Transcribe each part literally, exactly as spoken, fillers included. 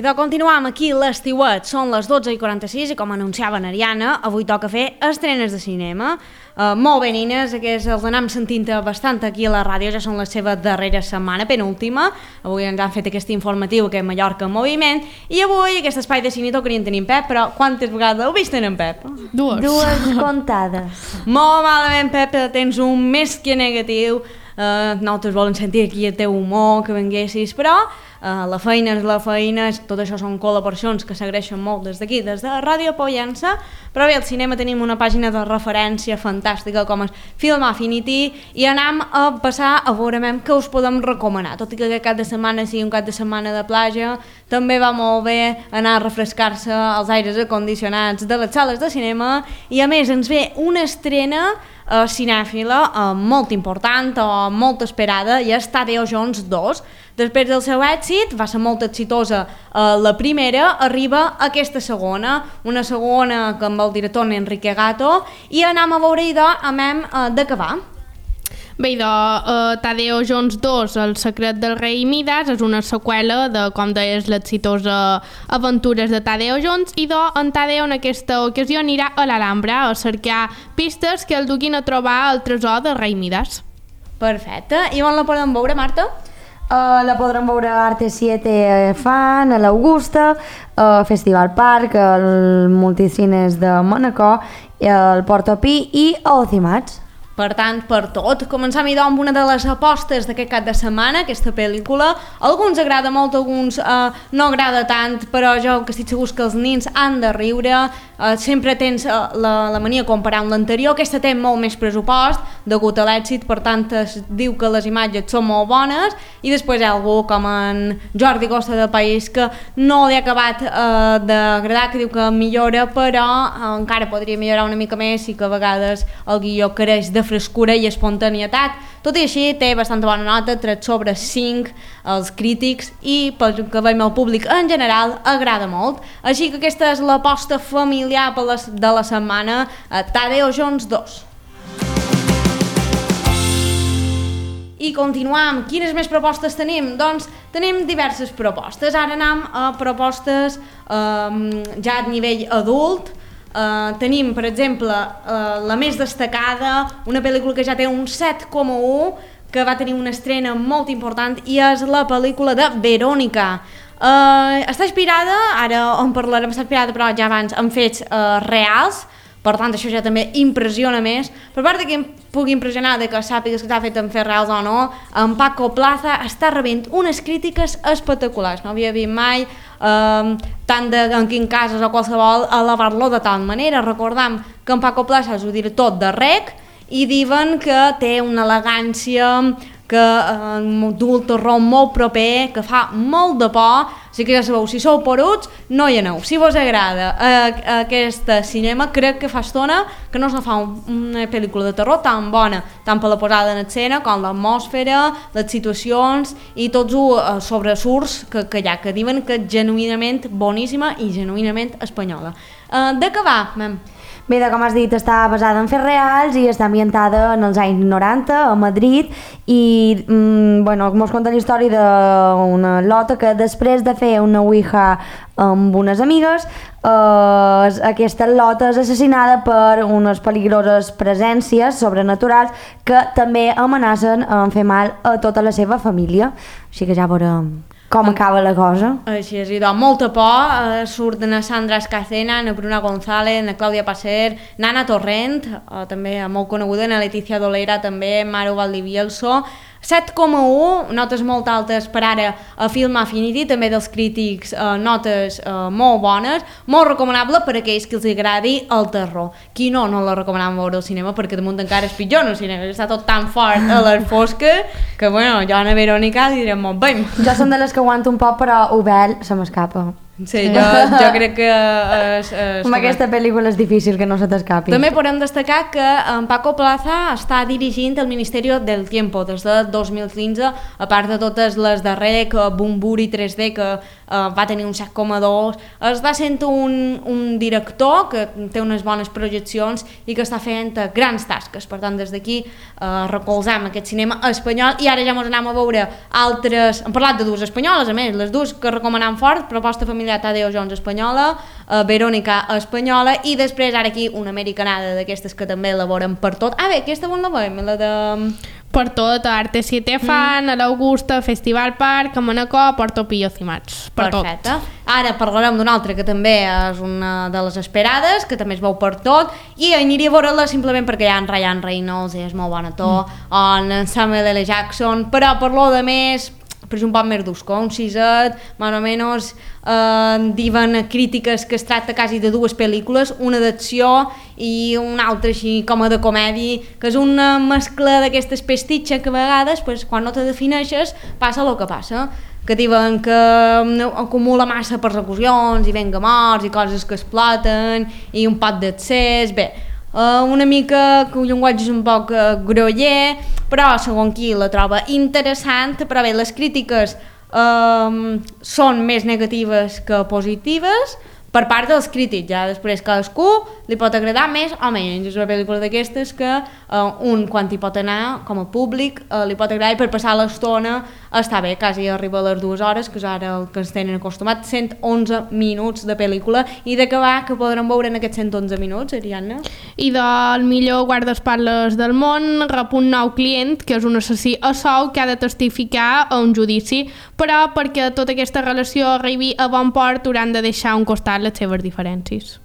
de continuar aquí l'estiuet, són les dotze i quaranta-sis i com anunciava Ariana, avui toca fer estrenes de cinema. Uh, molt bé, nines, aquests els anem sentint bastant aquí a la ràdio, ja són la seva darrera setmana, penúltima. Avui ens han fet aquest informatiu que és Mallorca en moviment i avui aquest espai de cine tocarien tenir en Pep, però quantes vegades heu vist en Pep? Dues. Dues comptades. Molt malament, Pep, tens un més que negatiu. Uh, nosaltres volen sentir aquí el teu humor, que venguessis, però uh, la feina és la feina, tot això són col·laboracions que s'agraeixen molt des d'aquí, des de Ràdio Pollença, però bé, al cinema tenim una pàgina de referència fantàstica com és Film Affinity i anem a passar a veure què us podem recomanar, tot i que aquest cap de setmana sigui un cap de setmana de platja, també va molt bé anar a refrescar-se als aires acondicionats de les sales de cinema i a més ens ve una estrena Uh, cinèfila uh, molt important o uh, molt esperada i és Tadeo Jones dos. Després del seu èxit, va ser molt exitosa uh, la primera, arriba aquesta segona, una segona que amb el director Enrique Gato, i anem a veure idò amb hem uh, d'acabar. Bé, idò, uh, Tadeo Jones dos, El secret del rei Midas, és una seqüela de, com deies, l'exitosa aventures de Tadeo Jones, i idò, en Tadeo en aquesta ocasió anirà a l'Alhambra a cercar pistes que el duguin a trobar el tresor del rei Midas. Perfecte. I on la podem veure, Marta? Uh, la podrem veure a Arte siete Fan, a l'Augusta, al Festival Park, al Multicines de Manacor, al Portopí i a Ocimats. Per tant, per tot, començam idò amb una de les apostes d'aquest cap de setmana, aquesta pel·lícula. A alguns agrada molt, a alguns eh, no agrada tant, però jo que estic segur que els nins han de riure. Eh, sempre tens eh, la, la mania de comparar amb l'anterior. Aquesta té molt més pressupost, degut a l'èxit, per tant es diu que les imatges són molt bones, i després hi ha algú com en Jordi Costa del País que no li ha acabat eh, d'agradar, que diu que millora, però eh, encara podria millorar una mica més i que a vegades el guió creix de frescura i espontanietat. Tot i així té bastant bona nota, tres sobre cinc als crítics i pel que veiem el públic en general agrada molt. Així que aquesta és l'aposta familiar de la setmana, a Tadeo Jones dos. I continuam. Quines més propostes tenim? Doncs tenim diverses propostes. Ara anem a propostes um, ja a nivell adult. Uh, tenim, per exemple, uh, la més destacada, una pel·lícula que ja té un set coma u, que va tenir una estrena molt important, i és la pel·lícula de Verònica. Uh, està inspirada, ara en parlarem, està inspirada però ja abans en fets uh, reals, per tant això ja també impressiona més. Per part de que em pugui impressionar de que sàpigues que està fet en fets reals o no, en Paco Plaza està rebent unes crítiques espectaculars. No havia vist mai eh, tant de en quin casos o qualsevol elevar-lo de tal manera. Recordam que en Paco Plaza és el director de Rec i diuen que té una elegància, que eh, du el terror molt proper, que fa molt de por. Així que ja sabeu, si sou poruts, no hi aneu. Si vos agrada eh, aquest cinema, crec que fa estona que no se fa un, una pel·lícula de terror tan bona, tant per la posada en escena com l'atmosfera, les situacions i tots els eh, sobresurts que, que hi ha, que diuen que és genuïnament boníssima i genuïnament espanyola. Eh, de què va, mem? Bé, com has dit, està basada en fets reals i està ambientada en els anys noranta a Madrid i mm, bueno, mos conta la història d'una lota que després de fer una ouija amb unes amigues, eh, aquesta lota és assassinada per unes peligroses presències sobrenaturals que també amenacen en fer mal a tota la seva família. Així que ja veurem com acaba la cosa. Així és, i doncs molta por, eh, surten a Sandra Escacena, a Bruna González, a Clàudia Passer, Nana Torrent, eh, també molt coneguda, a Leticia Dolera, també Maru Valdivielso. set coma u, notes molt altes per ara a Film Affinity, també dels crítics, eh, notes eh, molt bones, molt recomanable per a aquells que els agradi el terror. Qui no, no la recomanam veure al cinema, perquè damunt encara és pitjor no, el cinema, està tot tan fort a les fosques que, bueno, jo a Verònica li direm molt bé. Jo som de les que aguanto un poc, però Obel se m'escapa. Sí, jo, jo crec que és, és amb aquesta pel·lícula és difícil que no se t'escapi. També podem destacar que en Paco Plaza està dirigint el Ministeri del Tiempo des de dos mil quinze, a part de totes les de Rec, Bumburi tres D, que uh, va tenir un set coma dos, està sent un, un director que té unes bones projeccions i que està fent grans tasques. Per tant, des d'aquí uh, recolzam aquest cinema espanyol i ara ja ens anem a veure altres... Hem parlat de dues espanyoles, a més, les dues que recomanem fort, Proposta familiar Tadeo Jones espanyola, uh, Verònica espanyola i després ara aquí una americanada d'aquestes que també elaboren per tot. Ah bé, aquesta on la veiem? La de... Per tot, a Arte siete Fan, mm. a l'Augusta, Festival Park, a Manacor, Porto Pillo Cimats. Per Perfecte. tot. Ara parlarem d'una altra que també és una de les esperades, que també es veu per tot, i aniria a veure-la simplement perquè hi ha en Ryan Reynolds, és molt bon actor, mm. en Samuel L. Jackson, però per lo de més... però és un poc més d'usco, un siset, més o menys, eh, diuen crítiques que es tracta quasi de dues pel·lícules, una d'acció i una altra així com a de comèdia, que és una mescla d'aquestes pestitxes que a vegades, pues, quan no te defineixes, passa el que passa, que diuen que acumula massa persecucions i venga morts i coses que exploten i un pot d'accés, bé, Uh, una mica que el llenguatge és un poc uh, groller, però segons qui la troba interessant, però bé, les crítiques uh, són més negatives que positives per part dels crítics, ja després cadascú li pot agradar més o menys. És una pel·lícula d'aquestes que uh, un quan hi pot anar com a públic uh, li pot agradar i per passar l'estona està bé, quasi arriba a les dues hores, que és ara el que ens tenen acostumat, cent onze minuts de pel·lícula i d'acabar que podrem veure en aquests cent onze minuts, Ariadna. I del millor guardaespatlles del món rep un nou client, que és un assassí a sou que ha de testificar a un judici, però perquè tota aquesta relació arribi a bon port hauran de deixar un costat les seves diferències.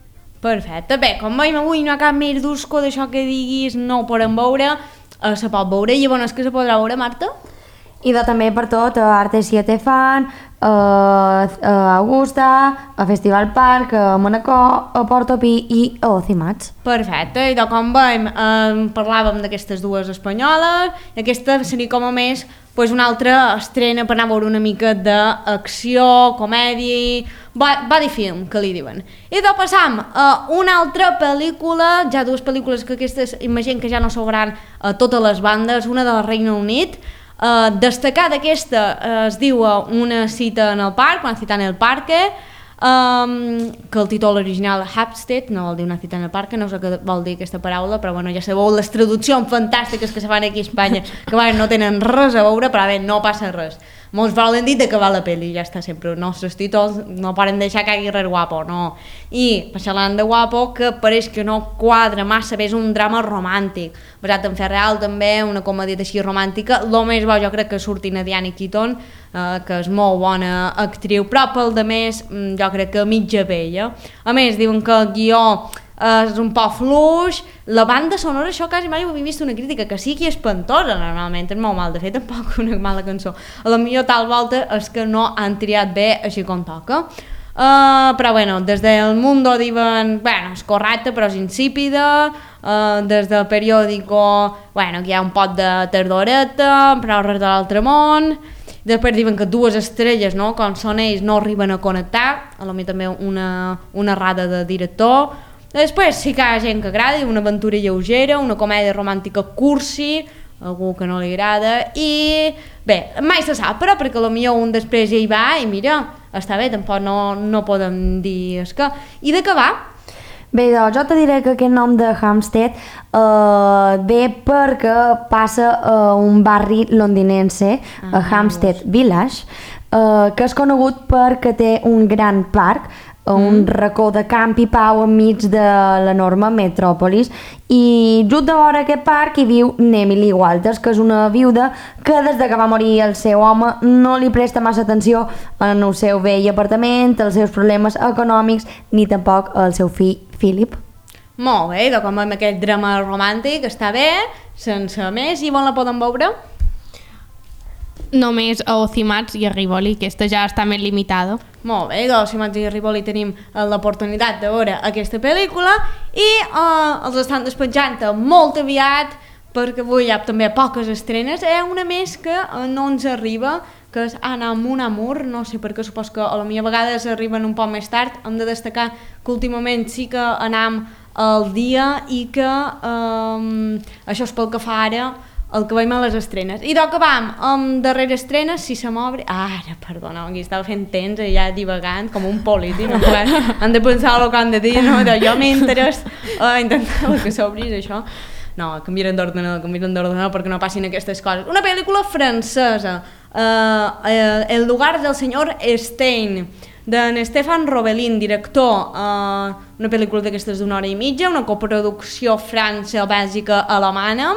Perfecte, bé, com veiem avui no hi ha cap més d'usco d'això que diguis, no ho podem veure, eh, se pot veure, i llavors que se podrà veure, Marta? I de també per tot, a Arte siete Fan, a, a Augusta, a Festival Park, a Manacor, a Porto Pi i a Ocimats. Perfecte, i de com veiem, eh, parlàvem d'aquestes dues espanyoles, i aquesta seria com a més pues, una altra estrena per anar a veure una mica d'acció, comèdia, body film, que li diuen. I de passam a una altra pel·lícula, ja dues pel·lícules que aquestes imagino que ja no s'obran a totes les bandes, una del Regne Unit. Uh, destacar d'aquesta uh, es diu uh, Una cita en el parc, Una cita en el parque, um, que el títol original Hampstead, no vol dir Una cita en el parque, no sé què vol dir aquesta paraula, però bueno, ja sabeu les traduccions fantàstiques que se fan aquí a Espanya, que bueno, no tenen res a veure, però bé, no passa res. Molts volen dir d'acabar la pel·li, ja està, sempre els nostres títols no poden deixar que hagi res guapo, no. I parlant de guapo, que pareix que no quadra massa bé, és un drama romàntic, basat en fet real també, una comèdia així romàntica, el més bo jo crec que surti a Diane Keaton, eh, que és molt bona actriu, però pel de més jo crec que mitja bella. A més, diuen que el guió és un poc fluix, la banda sonora, això quasi mai ho havia vist una crítica, que sí que és espantosa normalment, és molt mal, de fet tampoc una mala cançó, a la millor tal volta és que no han triat bé així com toca. Uh, però bueno, des del Mundo diuen, bueno, és correcte però és insípida, uh, des del periòdico, bueno, que hi ha un pot de tardoreta, però res de l'altre món. Després diuen que dues estrelles, no, com són ells, no arriben a connectar, a lo millor també una, una errada de director. Després sí que hi ha gent que agrada, una aventura lleugera, una comèdia romàntica cursi, algú que no li agrada, i bé, mai se sap, però perquè potser un després ja hi va i mira, està bé, tampoc no, no podem dir és que... I d'acabar? Bé, doncs jo te diré que aquest nom de Hampstead eh, ve perquè passa a un barri londinense, ah, a Hampstead Village, eh, que és conegut perquè té un gran parc, un mm. racó de camp i pau enmig de l'enorme metròpolis, i just de vora aquest parc hi viu Emily Walters, que és una viuda que des de que va morir el seu home no li presta massa atenció en el seu vell apartament, els seus problemes econòmics, ni tampoc al seu fill Philip. Molt bé, doncs com amb aquest drama romàntic està bé, sense més, i on la poden veure? Només a Ocimats i a Rivoli, aquesta ja està més limitada. Molt bé, doncs Ocimats i a Rivoli tenim l'oportunitat de veure aquesta pel·lícula i eh, els estan despatjant molt aviat perquè avui hi ha també poques estrenes. Hi ha una més que no ens arriba, que és Anar amb un amor, no sé per què, supos que a la millor vegades arriben un poc més tard. Hem de destacar que últimament sí que anam al dia i que um, això és pel que fa ara el que veiem a les estrenes. I doncs que vam amb darrere estrenes, si se m'obre... Ara, perdona, aquí estava fent temps i ja divagant com un polític, no? Han de pensar el que han de dir, no? De jo m'interès uh, intentar que s'obris això. No, canviarem d'ordenador, canviarem d'ordenador perquè no passin aquestes coses. Una pel·lícula francesa, uh, uh, El lugar del senyor Stein, d'en Stefan Robelin, director, uh, una pel·lícula d'aquestes d'una hora i mitja, una coproducció França-Bèlgica-Alemana,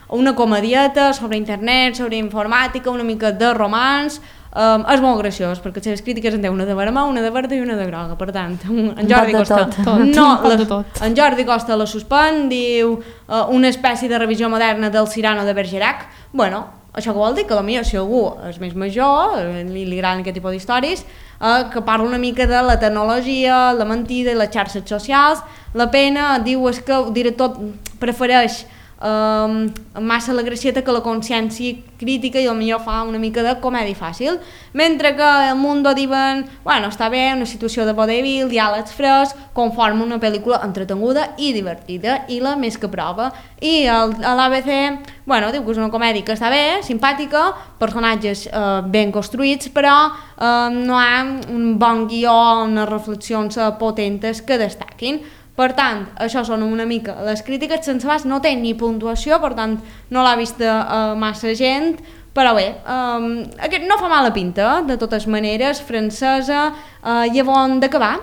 una comedieta sobre internet, sobre informàtica, una mica de romans. Um, és molt graciós, perquè les seves crítiques en té una de vermell, una de verda i una de groga. Per tant, en Jordi Costa... Tot. No, la, tot. En Jordi Costa la suspèn, diu uh, una espècie de revisió moderna del Cyrano de Bergerac. Bueno, això que vol dir que potser si algú és més major, li, li agraden aquest tipus d'històries, uh, que parla una mica de la tecnologia, la mentida i les xarxes socials. La pena, diu, és que el director prefereix Um, massa la gracieta que la consciència crítica i potser fa una mica de comèdia fàcil, mentre que El Mundo diuen, bueno, està bé, una situació de vodevil, diàlegs frescs, conforma una pel·lícula entretenguda i divertida, i la més que prova. I el, l'A B C, bueno, diu que és una comèdia que està bé, simpàtica, personatges eh, ben construïts, però eh, no hi ha un bon guió, unes reflexions eh, potentes que destaquin. Per tant, això són una mica les crítiques. Sense Bas no té ni puntuació, per tant no l'ha vista uh, massa gent, però bé, um, aquest no fa mala pinta, de totes maneres, francesa, uh, i on d'acabar.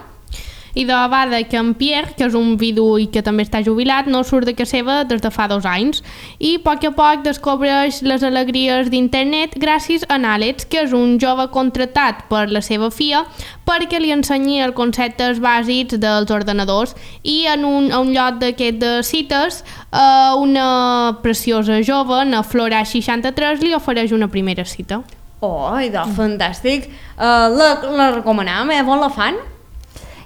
I de banda que en Pierre, que és un vidu i que també està jubilat, no surt de casa seva des de fa dos anys i a poc a poc descobreix les alegries d'internet gràcies a Àlex, que és un jove contratat per la seva filla perquè li ensenyi els conceptes bàsics dels ordenadors, i en un, a un lloc d'aquest de cites eh, una preciosa jove, na Flora seixanta-tres, li ofereix una primera cita. Oh, idò, fantàstic. Uh, la, la recomanem, eh? On la fan?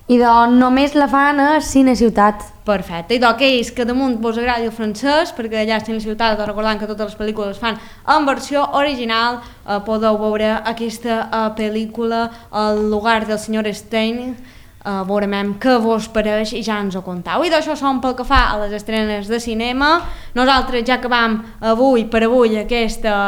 I doncs només la fan a Cine Ciutat. Perfecte, i d'aquells que damunt vos agradi el francès, perquè allà a Cine Ciutat, recordant que totes les pel·lícules es fan en versió original, eh, podeu veure aquesta eh, pel·lícula El lugar del senyor Stein, eh, veurem què vos pareix i ja ens ho contau. I d'això som pel que fa a les estrenes de cinema. Nosaltres ja acabam avui per avui aquesta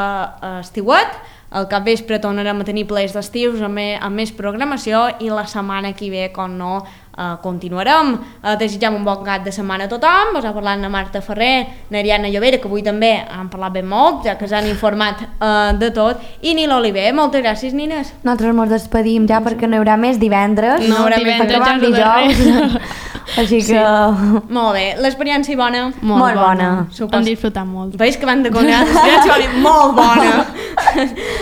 eh, estiuet. Al capvespre tornarem a tenir plaers d'estius amb, me, amb més programació, i la setmana que ve, com no, eh, continuarem. Eh, desitgem un bon cap de setmana a tothom. Vos ha parlat na Marta Ferrer, na Ariadna Llovera, que avui també han parlat ben molt, ja que s'han informat eh, de tot, i Nil Oliver. Moltes gràcies, Nines. Nosaltres ens despedim ja perquè no hi haurà més divendres. No, no divendres ja és dijous. Així que... Sí. Molt bé, l'experiència bona. Molt, molt bona. bona. Hem disfrutat molt. Veus que van de conèixer l'experiència bona, molt bona.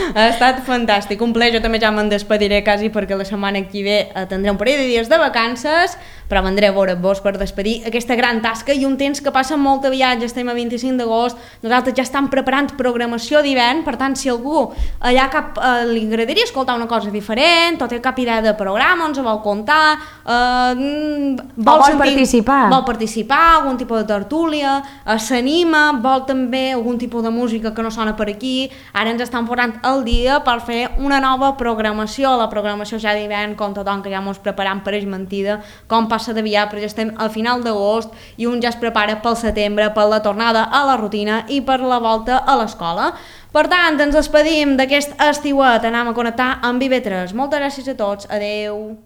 Ha estat fantàstic, un plaer. Jo també ja me'n despediré quasi, perquè la setmana que ve tindré un parell de dies de vacances, però vendré a veure-vos per despedir aquesta gran tasca, i un temps que passa molt aviat. Ja estem a vint-i-cinc d'agost, nosaltres ja estem preparant programació d'hivern. Per tant, si algú allà cap, eh, li agradaria escoltar una cosa diferent, o té cap idea de programa, ens ho vol contar, eh, vol, vol sentir, participar vol participar, algun tipus de tertúlia, eh, s'anima, vol també algun tipus de música que no sona per aquí, ara ens estan posant el dia per fer una nova programació. La programació ja d'hivern, com tothom, que ja mos preparam per mentida, com passa d'aviat, però ja estem al final d'agost i un ja es prepara pel setembre, per la tornada a la rutina i per la volta a l'escola. Per tant, ens despedim d'aquest estiuet, anem a connectar amb I V tres. Moltes gràcies a tots, adeu.